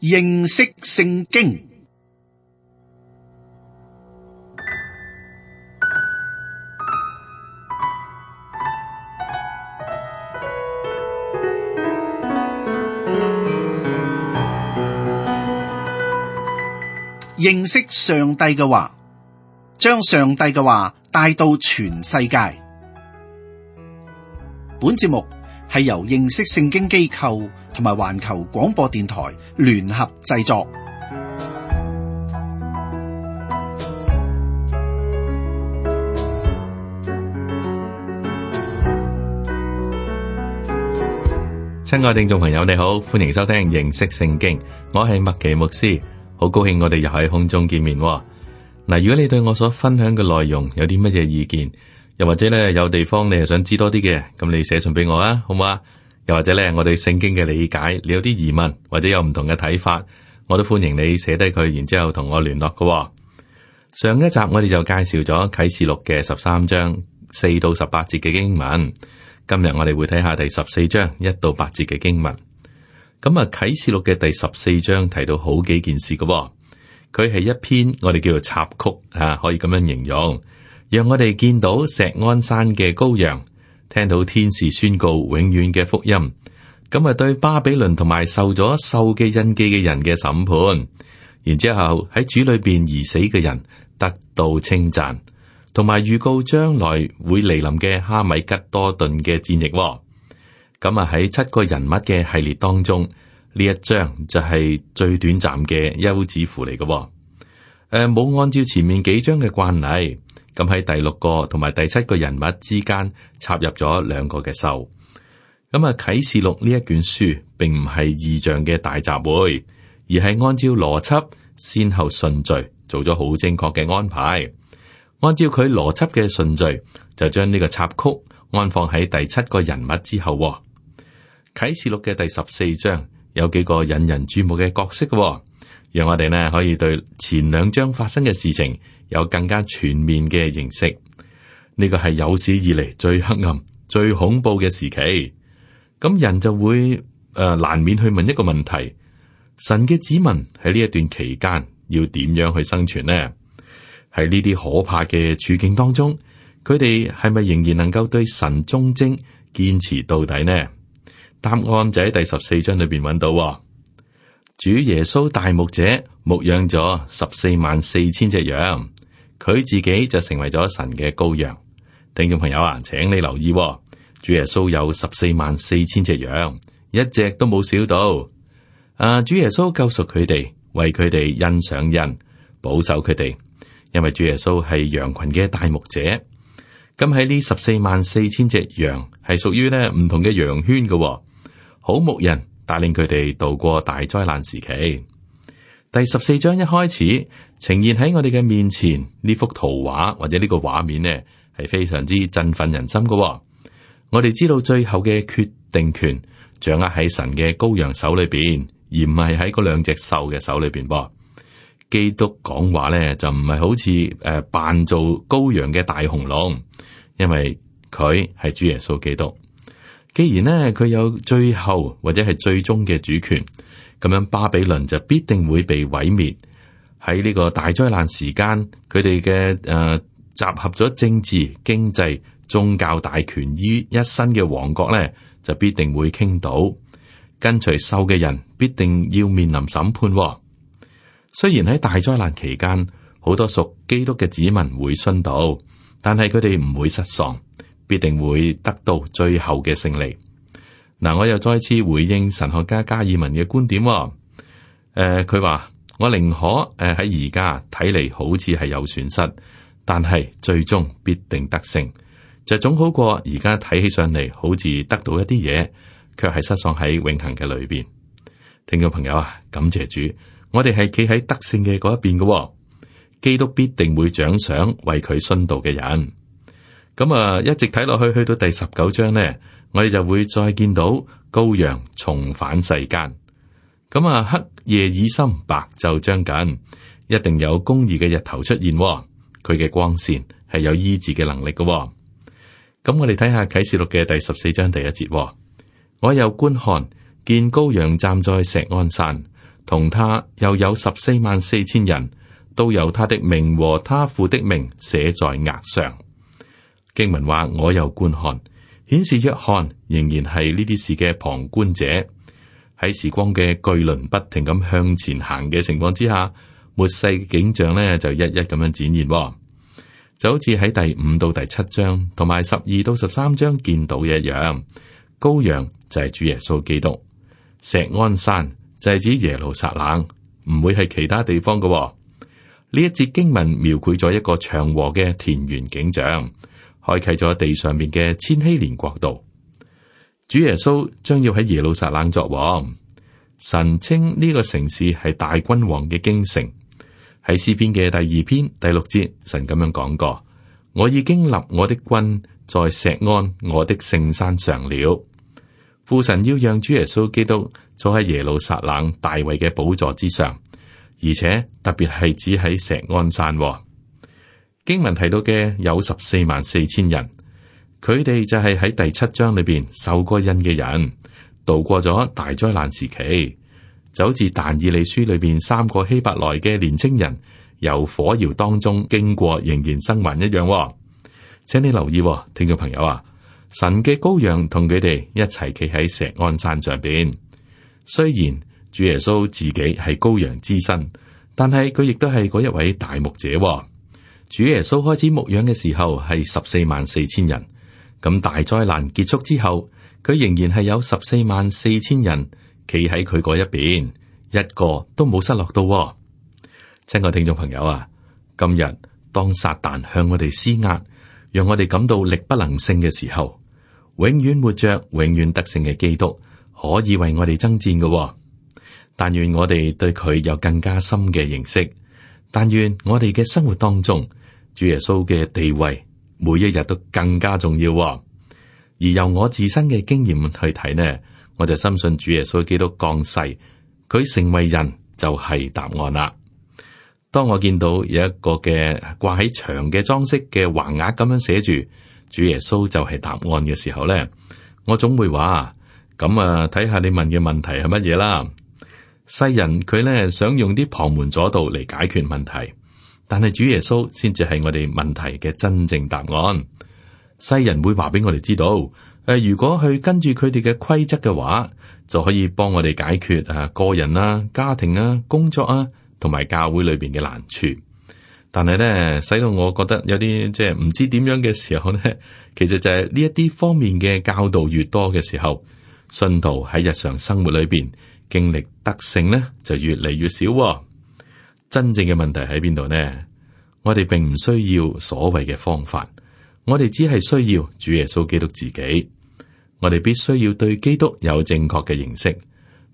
認識聖經。認識上帝嘅話，將上帝嘅話帶到全世界。本節目係由認識聖經機構同埋環球廣播電台聯合製作。親愛聽眾朋友，你好，歡迎收聽認識聖經，我係麥奇牧師。好高興我哋又喺空中見面。嗱，如果你對我所分享嘅內容有啲乜嘢意見，又或者咧有地方你係想知多啲嘅，咁你寫信俾我啊，好唔好啊？又或者咧我對聖經嘅理解，你有啲疑問或者有唔同嘅睇法，我都歡迎你寫低佢，然之後同我聯絡嘅。上一集我哋就介紹咗啟示錄嘅13章4到18節嘅經文，今日我哋會睇下第14章1到8節嘅經文。咁啊，啟示錄嘅第14章提到好幾件事嘅，佢係一篇我哋叫做插曲啊，可以咁樣形容，讓我哋見到錫安山嘅羔羊，聽到天使宣告永遠嘅福音，咁啊對巴比倫同埋受咗獸嘅印記嘅人嘅審判，然之後喺主裏邊而死嘅人得到稱讚，同埋預告將來會嚟臨嘅哈米吉多頓嘅戰役。咁啊喺7個人物嘅系列當中，呢一章就係最短暫嘅休止符嚟嘅。冇按照前面幾章嘅慣例，咁喺第6個同埋第7個人物之間插入咗2個嘅獸。咁啊啟示錄呢一卷書並唔係異象嘅大集會，而係按照邏輯先後順序做咗好正確嘅安排。按照佢邏輯嘅順序，就將呢個插曲安放喺第7個人物之後。啟示錄嘅第14章有幾個引人注目嘅角色嘅，讓我哋呢可以對前2章發生嘅事情有更加全面嘅認識。呢個係有史以嚟最黑暗、最恐怖嘅時期。咁人就會難免去問一個問題：神嘅子民喺呢一段期間要點樣去生存呢？喺呢啲可怕嘅處境當中，佢哋係咪仍然能夠對神忠貞、堅持到底呢？答案就喺第14章裏邊揾到。主耶穌大牧者牧養咗144000隻羊，佢自己就成為咗神嘅羔羊。聽眾朋友啊，請你留意，主耶穌有144000隻羊，一隻都冇少到。主耶穌救贖佢哋，為佢哋印上印，保守佢哋，因為主耶穌係羊群嘅大牧者。咁喺呢144000隻羊係屬於呢唔同嘅羊圈嘅。好牧人帶領佢哋度過大災難時期。第14章一開始呈現喺我哋嘅面前呢幅圖畫或者呢個畫面呢，係非常之振奮人心嘅。我哋知道最後嘅決定權掌握喺神嘅羔羊手裏邊，而唔係喺嗰2隻獸嘅手裏邊。基督講話呢，就唔係好似扮做羔羊嘅大紅龍，因為佢係主耶穌基督。既然呢，佢有最後或者係最終嘅主權，咁樣巴比倫就必定會被毀滅。喺呢個大災難時間，佢哋嘅集合咗政治、經濟、宗教大權於一身嘅王國呢，就必定會傾倒。跟隨獸嘅人必定要面臨審判。雖然喺大災難期間，好多屬基督嘅子民會殉道，但係佢哋唔會失喪，必定會得到最後嘅勝利。嗱，我又再次回應神學家加爾文嘅觀點。佢話我寧可喺而家睇嚟好似係有損失，但係最終必定得勝，就總好過而家睇起上嚟好似得到一啲嘢，卻係失喪喺永恆嘅裏邊。聽眾朋友啊，感謝主，我哋係企喺得勝嘅嗰一邊嘅，基督必定會獎賞為佢殉道嘅人。咁啊，一直睇落去，去到第19章呢，我哋就會再見到羔羊重返世間。咁啊，黑夜已深，白晝將近，一定有公義嘅日頭出現。佢嘅光線係有醫治嘅能力嘅。咁我哋睇下啟示錄嘅第14章第1節。我又觀看，見羔羊站在錫安山，同他又有144000人，都有他的名和他父的名寫在額上。經文話，我又觀看，顯示約翰仍然係呢啲事嘅旁觀者。喺時光嘅巨輪不停咁向前行嘅情況之下，末世嘅景象呢就一一咁樣展現，就好似喺第5到第7章同埋12到13章見到嘅一樣。羔羊就係主耶穌基督，錫安山就係指耶路撒冷，唔會係其他地方嘅。呢一節經文描繪咗一個祥和嘅田園景象，開啟咗地上面嘅千禧年國度。主耶穌將要喺耶路撒冷作王，神稱呢個城市係大君王嘅京城。喺詩篇嘅第2篇第6節，神咁樣講過：我已經立我的君在錫安我的聖山上了。父神要讓主耶穌基督坐喺耶路撒冷大衛嘅寶座之上，而且特別係指喺錫安山。經文提到嘅有144000人，佢哋就係喺第7章裏邊受過印嘅人，度過咗大災難時期，就好似但以理書裏邊3個希伯來嘅年青人由火窯當中經過，仍然生還一樣。請你留意，聽眾朋友啊，神嘅羔羊同佢哋一齊企喺錫安山上邊。雖然主耶穌自己係羔羊之身，但係佢亦都係嗰一位大牧者。主耶穌開始牧養嘅時候係144000人，咁大災難結束之後，佢仍然係有144000人企喺佢嗰一邊，一個都冇失落到。親愛聽眾朋友啊，今日當撒旦向我哋施壓，讓我哋感到力不能勝嘅時候，永遠活着、永遠得勝嘅基督可以為我哋爭戰嘅。但願我哋對佢有更加深嘅認識，但願我哋嘅生活當中，主耶穌嘅地位每一日都更加重要。而由我自身嘅經驗去睇呢，我就深信主耶穌基督降世，佢成為人就係答案啦。當我見到有一個嘅掛喺牆嘅裝飾嘅橫額咁樣寫住主耶穌就係答案嘅時候呢，我總會話咁啊，睇下你問嘅問題係乜嘢啦。世人佢呢想用啲旁門左道嚟解決問題，但係主耶穌先至係我哋問題嘅真正答案。世人會話俾我哋知道，如果去跟住佢哋嘅規則嘅話，就可以幫我哋解決個人啊、家庭啊、工作啊，同埋教會裏邊嘅難處。但係咧，使到我覺得有啲即係唔知點樣嘅時候咧，其實就係呢一啲方面嘅教導越多嘅時候，信徒喺日常生活裏邊經歷得勝咧，就越嚟越少。真正嘅問題喺邊度呢？我哋並唔需要所謂嘅方法，我哋只係需要主耶穌基督自己。我哋必須要對基督有正確嘅認識，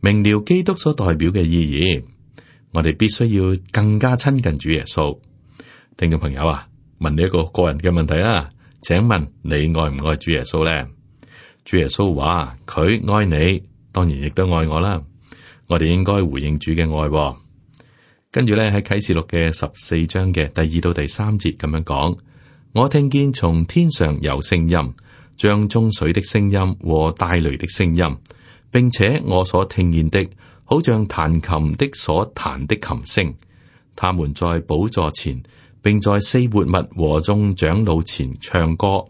明了基督所代表嘅意義。我哋必須要更加親近主耶穌。聽眾朋友啊，問你一個個人嘅問題啊，請問你愛唔愛主耶穌呢？主耶穌話佢愛你，當然亦都愛我啦。我哋應該回應主嘅愛。跟住咧，喺啟示錄嘅14章嘅第2到第3節咁樣講，我聽見從天上有聲音，像眾水的聲音和大雷的聲音，並且我所聽見的，好像彈琴的所彈的琴聲。他們在寶座前，並在4活物和眾長老前唱歌，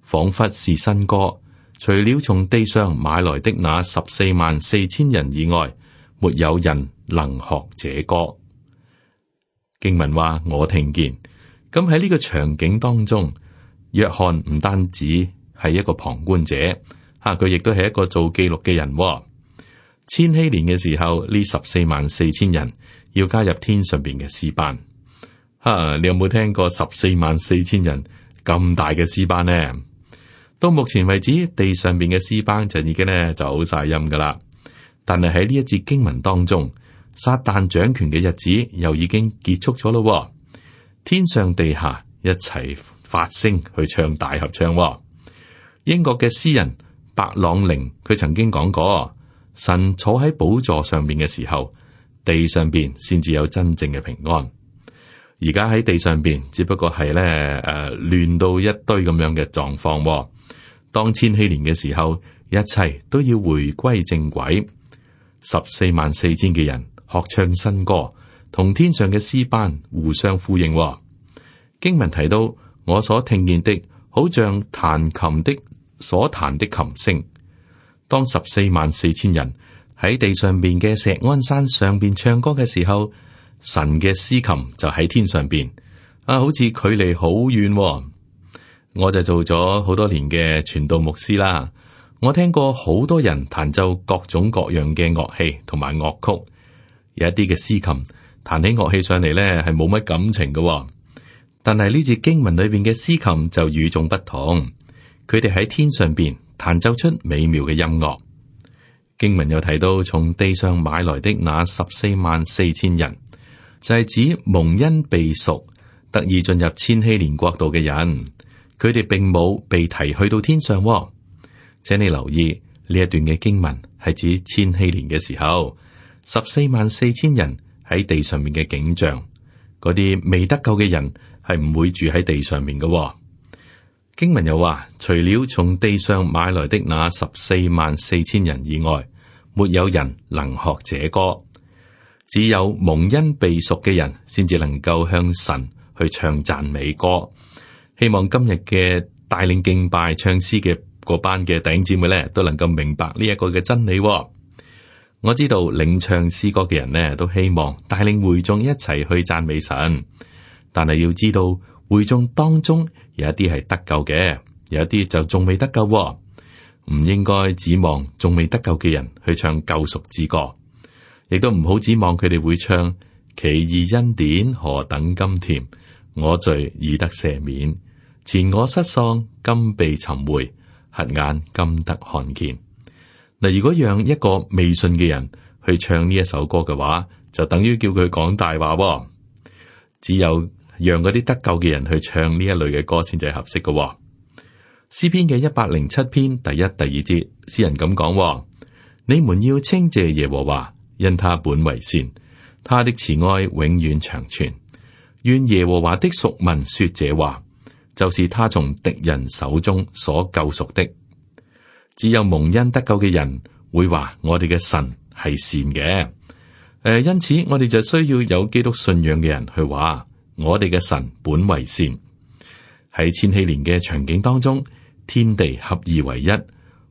仿佛是新歌。除了從地上買來的那144000人以外，沒有人能學這歌。經文話我聽見，咁喺呢個場景當中，約翰唔單止係一個旁觀者，佢亦都係一個做記錄嘅人。千禧年嘅時候，呢144000人要加入天上邊嘅詩班。你有冇聽過144000人咁大嘅詩班呢？到目前為止，地上邊嘅詩班就已經咧走晒音噶啦。但係喺呢一節經文當中，撒旦掌權嘅日子又已經結束咗咯。天上地下一齊發聲去唱大合唱。英國嘅詩人白朗寧佢曾經講過，神坐喺寶座上面嘅時候，地上邊先至有真正嘅平安。而家喺地上邊只不過係咧亂到一堆咁樣嘅狀況。當千禧年嘅時候，一切都要回歸正軌。144000嘅人學唱新歌，同天上嘅詩班互相呼應。經文提到，我所聽見的，好像彈琴的所彈的琴聲。當144000人喺地上邊嘅錫安山上邊唱歌嘅時候，神嘅詩琴就喺天上邊，好似距離好遠。我就做咗好多年嘅傳道牧師啦，我聽過好多人彈奏各種各樣嘅樂器同埋樂曲，有一啲嘅詩琴彈起樂器上嚟咧係冇乜感情嘅，但係呢節經文裏邊嘅詩琴就與眾不同，佢哋喺天上邊彈奏出美妙嘅音樂。經文又提到從地上買來的那144000人，就係指蒙恩被贖，得以進入千禧年國度嘅人。佢哋並冇被提去到天上。請你留意呢一段嘅經文係指千禧年嘅時候，144000人喺地上面嘅景象。嗰啲未得救嘅人係唔會住喺地上面嘅。經文又話，除了從地上買來的那144000人以外，沒有人能學這歌。只有蒙恩被贖嘅人先至能夠向神去唱讚美歌。希望今日嘅帶領敬拜唱詩嘅嗰班嘅弟兄姊妹咧，都能夠明白呢一個嘅真理。我知道領唱詩歌嘅人呢，都希望帶領會眾一齊去讚美神，但係要知道會眾當中有一啲係得救嘅，有一啲就仲未得救。唔應該指望仲未得救嘅人去唱救贖之歌，亦都唔好指望佢哋會唱奇異恩典何等甘甜，我罪已得赦免，前我失喪今被尋回，瞎眼今得看見。嗱，如果讓一個未信嘅人去唱呢一首歌嘅話，就等於叫佢講大話。只有讓嗰啲得救嘅人去唱呢一類嘅歌先至係合適嘅。詩篇嘅107篇第一、第二節，詩人咁講：你們要稱謝耶和華，因他本為善，他的慈愛永遠長存。願耶和華的贖民說這話，就是他從敵人手中所救贖的。只有蒙恩得救嘅人會話我哋嘅神係善嘅。因此我哋就需要有基督信仰嘅人去話我哋嘅神本為善。喺千禧年嘅場景當中，天地合二為一，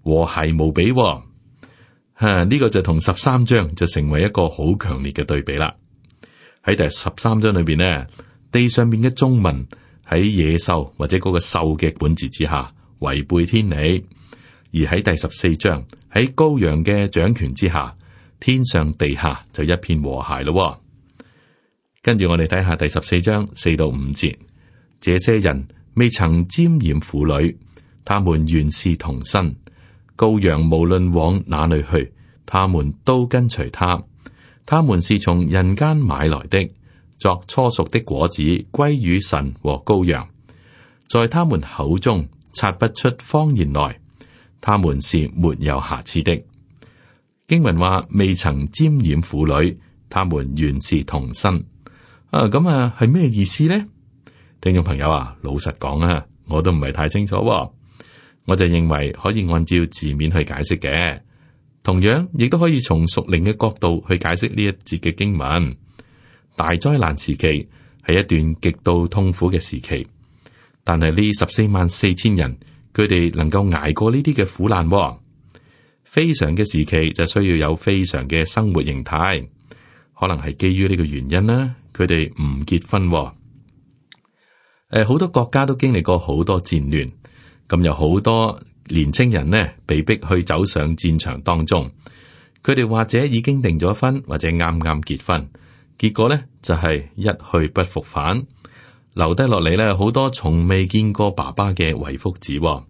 和諧無比。呢個就同13章就成為一個好強烈嘅對比啦。喺第13章裏邊呢，地上面嘅眾民喺野獸或者嗰個獸嘅管治之下違背天理，而喺第14章喺羔羊嘅掌權之下，天上地下就一片和諧咯。跟住我哋睇下第14章4到5節，這些人未曾沾染婦女，他們原是童身。羔羊無論往哪裏去，他們都跟隨他。他們是從人間買來的，作初熟的果子歸於神和羔羊。在他們口中察不出謊言來，他們是沒有瑕疵的。經文話未曾沾染婦女，他們原是童身。咁係咩意思呢？聽眾朋友啊，老實講啊，我都唔係太清楚。我就認為可以按照字面去解釋嘅，同樣亦都可以從屬靈嘅角度去解釋呢一節嘅經文。大災難時期係一段極度痛苦嘅時期，但係呢144000人，佢哋能夠捱過呢啲嘅苦難。非常嘅時期就需要有非常嘅生活形態，可能係基於呢個原因啦。佢哋唔結婚。好多國家都經歷過好多戰亂，咁有好多年青人呢被逼去走上戰場當中。佢哋或者已經訂咗婚，或者啱啱結婚，結果呢就係一去不復返，留低落嚟呢好多從未見過爸爸嘅遺腹子。呢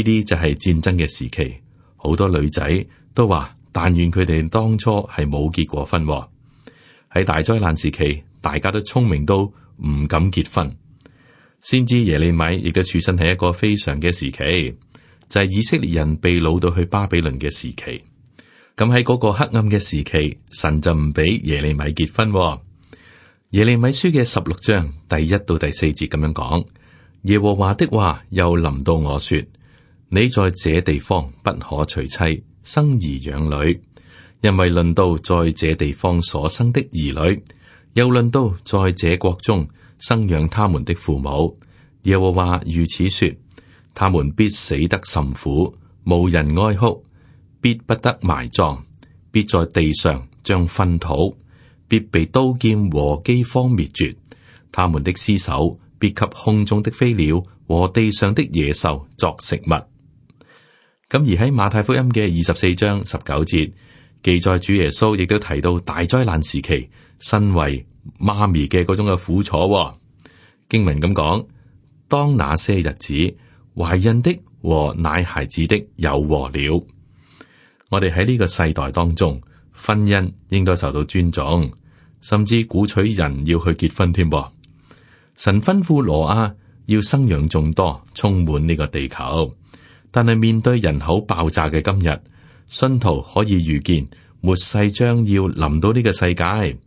啲就係戰爭嘅時期，好多女仔都話但願佢哋當初係冇結過婚。喺大災難時期，大家都聰明到唔敢結婚。先知耶利米亦都處身喺一個非常嘅時期，就係以色列人被擄到去巴比倫嘅時期。咁喺嗰個黑暗嘅時期，神就唔俾耶利米結婚。耶利米書嘅16章第1到第4節咁樣講：耶和華的話又臨到我說，你在這地方不可娶妻，生兒養女，因為論到在這地方所生的兒女，又論到在這國中生養他們的父母，耶和華如此說：他們必死得甚苦，無人哀哭，必不得埋葬，必在地上將糞土，必被刀劍和饑荒滅絕。他們的屍首必給空中的飛鳥和地上的野獸作食物。咁而喺馬太福音嘅24章19節記載，主耶穌亦都提到大災難時期身為媽咪嘅嗰種嘅苦楚。經文咁講：當那些日子，懷孕的和奶孩子的有禍了。我哋喺呢個世代當中，婚姻應該受到尊重，甚至鼓取人要去結婚添。神吩咐挪亞要生養眾多，充滿呢個地球。但係面對人口爆炸嘅今日，信徒可以預見末世將要臨到呢個世界。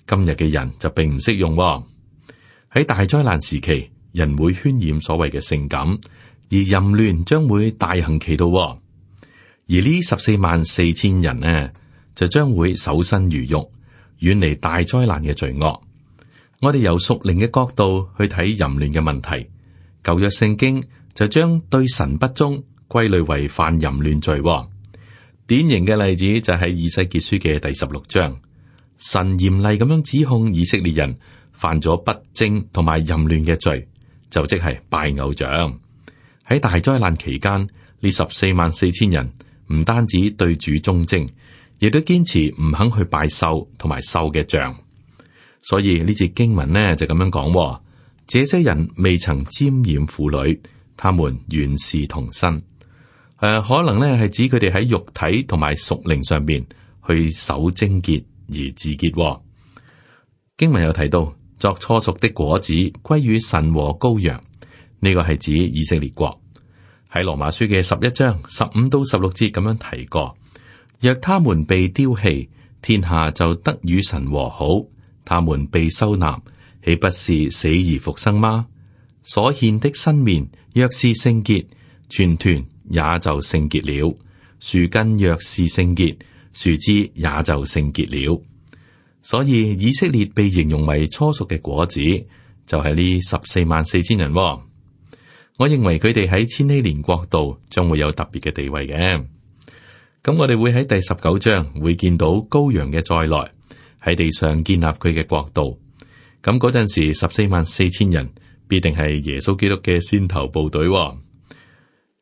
今日嘅人就並唔適用。喺大災難時期，人會渲染所謂嘅性感，而淫亂將會大行其道。而呢144000人呢，就將會守身如玉，遠離大災難嘅罪惡。我哋由屬靈嘅角度去睇淫亂嘅問題，舊約聖經就將對神不忠歸類為犯淫亂罪。典型嘅例子就係以西結書嘅第16章，神嚴厲咁樣指控以色列人犯咗不貞同埋淫亂嘅罪，就即係拜偶像。喺大災難期間，呢144000人唔單止對主忠貞，亦都堅持唔肯去拜獸同埋獸嘅像。所以呢節經文呢就咁樣講：這些人未曾沾染婦女，他們原是童身。可能呢係指佢哋喺肉體同埋屬靈上面去守貞潔而自潔。經文有提到，作初熟的果子歸於神和羔羊，呢個係指以色列國。喺羅馬書嘅11章15到16節咁樣提過：若他們被丟棄，天下就得與神和好；他們被收納，豈不是死而復生嗎？所獻的新麵若是聖潔，全團也就聖潔了；樹根若是聖潔，樹枝也就聖潔了。所以以色列被形容為初熟嘅果子，就係呢144000人。我認為佢哋喺千禧年國度將會有特別嘅地位嘅。咁我哋會喺第19章會見到羔羊嘅再來，喺地上建立佢嘅國度。咁嗰陣時144000人必定係耶穌基督嘅先頭部隊。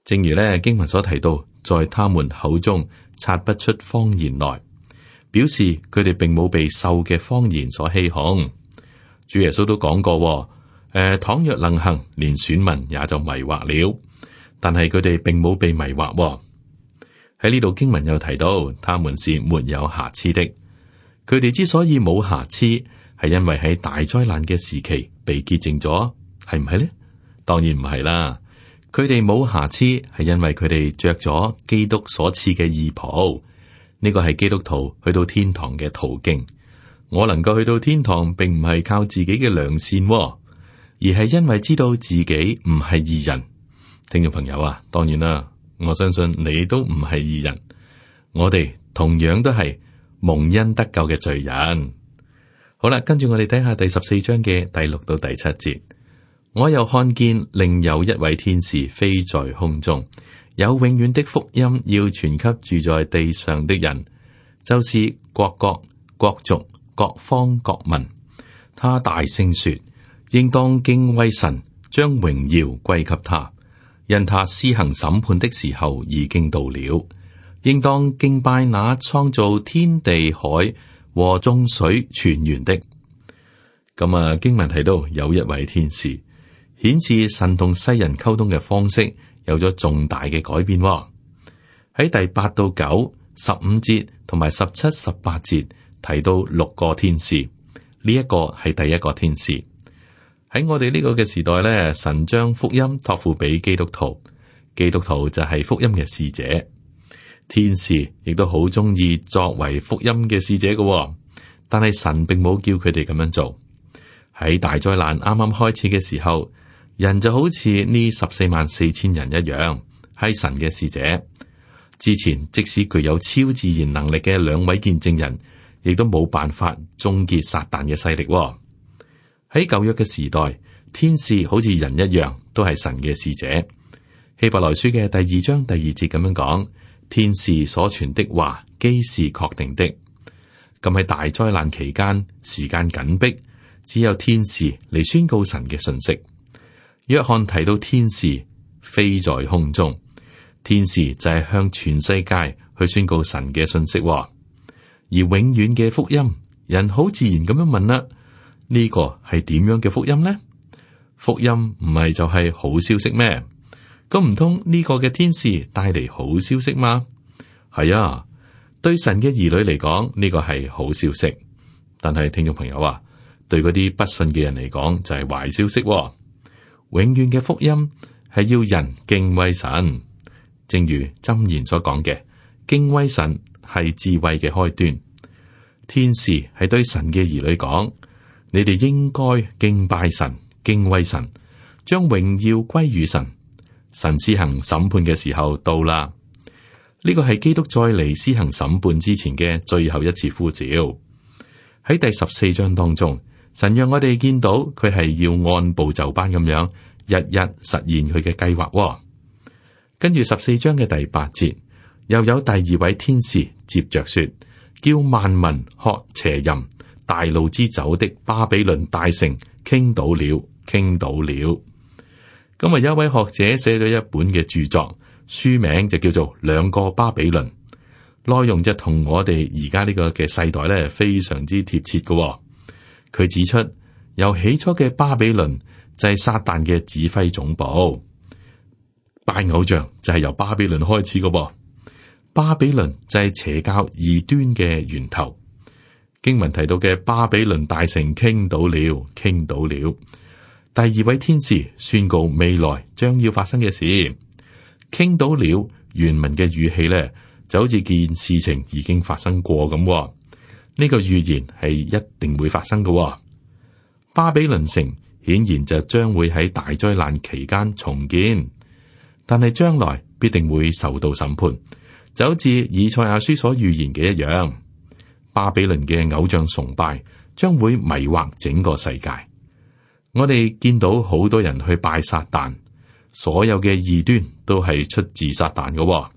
正如咧經文所提到，在他們口中察不出謊言來，表示佢哋並冇被獸嘅謊言所欺哄。主耶穌都講過，倘若能行，連選民也就迷惑了。但係佢哋並冇被迷惑。喺呢度經文有提到，他們是沒有瑕疵的。佢哋之所以冇瑕疵，係因為喺大災難嘅時期被潔淨咗，係唔係呢？當然唔係啦。佢哋冇瑕疵，係因為佢哋着咗基督所賜嘅義袍。呢個係基督徒去到天堂嘅途徑。我能夠去到天堂，並唔係靠自己嘅良善，而係因為知道自己唔係義人。聽眾朋友啊，當然啦，我相信你都唔係義人。我哋同樣都係蒙恩得救嘅罪人。好啦，跟住我哋睇下第14章嘅第6到第7節。我又看見另有一位天使飛在空中，有永遠的福音要傳給住在地上的人，就是各國、各族、各方、各民。他大聲說：應當敬畏神，將榮耀歸給他，因他施行審判的時候已經到了。應當敬拜那創造天地海和眾水泉源的。咁經文提到有一位天使，顯示神同世人溝通嘅方式有咗重大嘅改變。喺第8到9、15節同埋17、18節提到6個天使，呢一個係第一個天使。喺我哋呢個嘅時代咧，神將福音託付俾基督徒，基督徒就係福音嘅使者。天使亦都好中意作為福音嘅使者嘅，但係神並冇叫佢哋咁樣做。喺大災難啱啱開始嘅時候，人就好似呢144000人一樣，係神嘅使者。之前即使具有超自然能力嘅兩位見證人，亦都冇辦法終結撒旦嘅勢力。喺舊約嘅時代，天使好似人一樣，都係神嘅使者。希伯來書嘅第2章第2節咁樣講：天使所傳的話，既是確定的。咁喺大災難期間，時間緊迫，只有天使嚟宣告神嘅信息。約翰提到天使飛在空中，天使就係向全世界去宣告神嘅信息。而永遠嘅福音，人好自然咁樣問啦：呢個係點樣嘅福音呢？福音唔係就係好消息咩？咁唔通呢個嘅天使帶嚟好消息嗎？係啊，對神嘅兒女嚟講，呢個係好消息。但係聽眾朋友啊，對嗰啲不信嘅人嚟講就係壞消息。永遠嘅福音係要人敬畏神，正如箴言所講嘅，敬畏神係智慧嘅開端。天使係對神嘅兒女講：你哋應該敬拜神、敬畏神，將榮耀歸於神。神施行審判嘅時候到啦。呢個係基督再嚟施行審判之前嘅最後一次呼召。喺第14章當中，神讓我哋見到佢係要按部就班咁樣，日日實現佢嘅計劃。跟住14章嘅第8節，又有第2位天使接着說：叫萬民喝邪淫大怒之酒的巴比倫大城傾倒了，傾倒了。咁啊，有一位學者寫咗一本嘅著作，書名就叫做《兩個巴比倫》，內容就同我哋而家呢個嘅世代咧非常之貼切嘅。佢指出，由起初嘅巴比倫就係撒旦嘅指揮總部，拜偶像就係由巴比倫開始嘅。巴比倫就係邪教異端嘅源頭。經文提到嘅巴比倫大城傾倒了，傾倒了。第2位天使宣告未來將要發生嘅事，傾倒了。原文嘅語氣咧就好似件事情已經發生過咁。呢個預言係一定會發生嘅。巴比倫城顯然就將會喺大災難期間重建，但係將來必定會受到審判，就好似以賽亞書所預言嘅一樣。巴比倫嘅偶像崇拜將會迷惑整個世界。我哋見到好多人去拜撒旦，所有嘅異端都係出自撒旦嘅。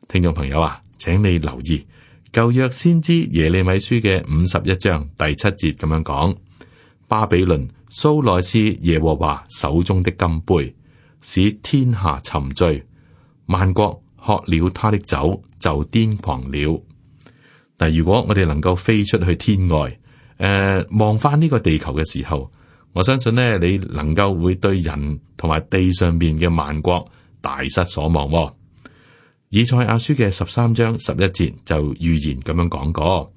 聽眾朋友啊，請你留意舊約先知耶利米書嘅51章第7節咁樣講：巴比倫素來是耶和華手中的金杯，使天下沉醉，萬國喝了他的酒就癲狂了。但如果我哋能夠飛出去天外，望翻呢個地球嘅時候，我相信呢，你能夠會對人同埋地上面嘅萬國大失所望。以賽亞書嘅13章11節就預言咁樣講過：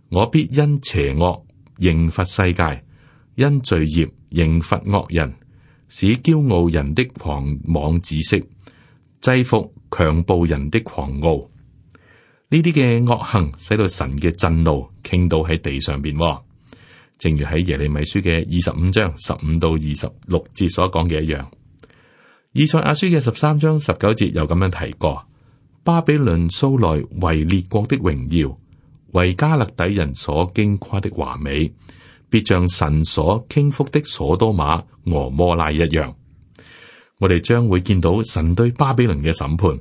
我必因邪惡刑罰世界，因罪孽刑罰惡人，使驕傲人的狂妄止息，制服強暴人的狂傲。呢啲嘅惡行使到神嘅震怒傾倒喺地上邊。正如喺耶利米書嘅25章15到26節所講嘅一樣，以賽亞書嘅13章19節又咁樣提過：巴比倫素來為列國的榮耀，為加勒底人所矜誇的華美，必像神所傾覆的所多瑪、俄摩拉一樣。我哋將會見到神對巴比倫嘅審判。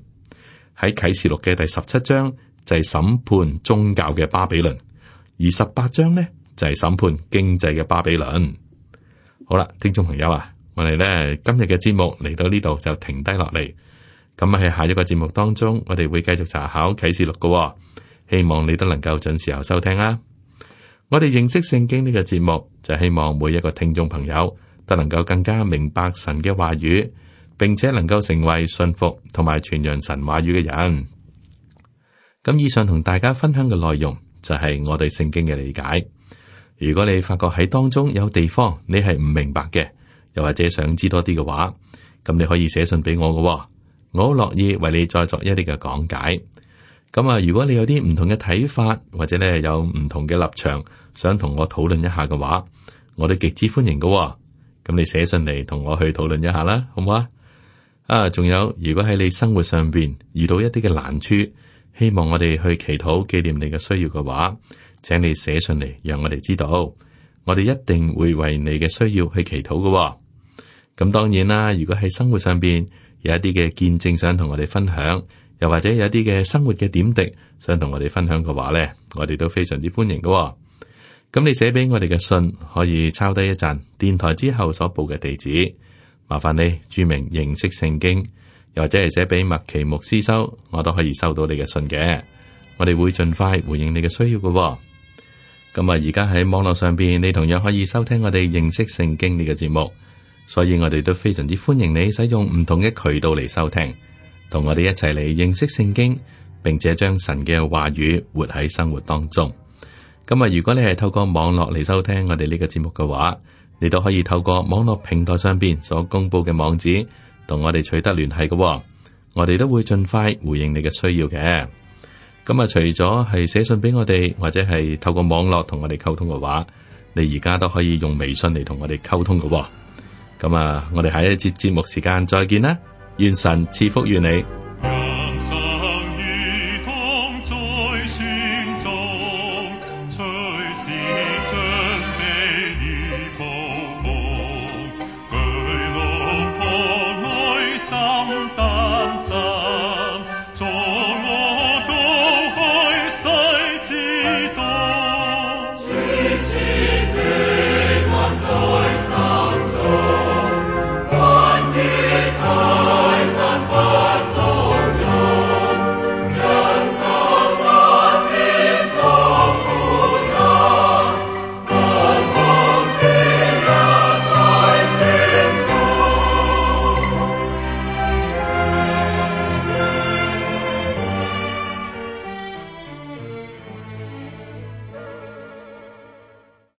喺啟示錄嘅第17章就係審判宗教嘅巴比倫，而18章呢就係審判經濟嘅巴比倫。好啦，聽眾朋友啊，我哋咧今日嘅節目嚟到呢度就停低落嚟。咁喺下一個節目當中，我哋會繼續查考啟示錄嘅，希望你都能夠準時候收聽啊！我哋認識聖經呢個節目，就希望每一個聽眾朋友都能夠更加明白神嘅話語，並且能夠成為信服同埋傳揚神話語嘅人。咁以上同大家分享嘅內容就係我對聖經嘅理解。如果你發覺喺當中有地方你係唔明白嘅，又或者想知多啲嘅話，咁你可以寫信俾我嘅，我好樂意為你再作一啲嘅講解。咁啊，如果你有啲唔同嘅睇法，或者咧有唔同嘅立場，想同我討論一下嘅話，我都極之歡迎嘅。咁你寫信嚟同我去討論一下啦，好唔好啊？仲有，如果喺你生活上邊遇到一啲嘅難處，希望我哋去祈禱紀念你嘅需要嘅話，請你寫信嚟，讓我哋知道，我哋一定會為你嘅需要去祈禱嘅。咁當然啦，如果喺生活上邊有一啲嘅見證想同我哋分享，又或者有一啲嘅生活嘅點滴想同我哋分享嘅話呢，我哋都非常之歡迎嘅。咁你寫俾我哋嘅信可以抄低一陣，電台之後所報嘅地址，麻煩你注明認識聖經，又或者係寫俾麥奇牧師收，我都可以收到你嘅信嘅。我哋會盡快回應你嘅需要嘅。咁而家喺網絡上邊，你同樣可以收聽我哋認識聖經呢個節目，所以我哋都非常之歡迎你使用唔同嘅渠道嚟收聽，同我哋一齊嚟認識聖經，並且將神嘅話語活喺生活當中。咁如果你係透過網絡嚟收聽我哋呢個節目嘅話，你都可以透過網絡平台上邊所公布嘅網址，同我哋取得聯繫嘅。我哋都會盡快回應你嘅需要嘅。除咗係寫信俾我哋，或者係透過網絡同我哋溝通嘅話，你而家都可以用微信嚟同我哋溝通嘅。我哋下一節節目時間再見啦，願神賜福於你。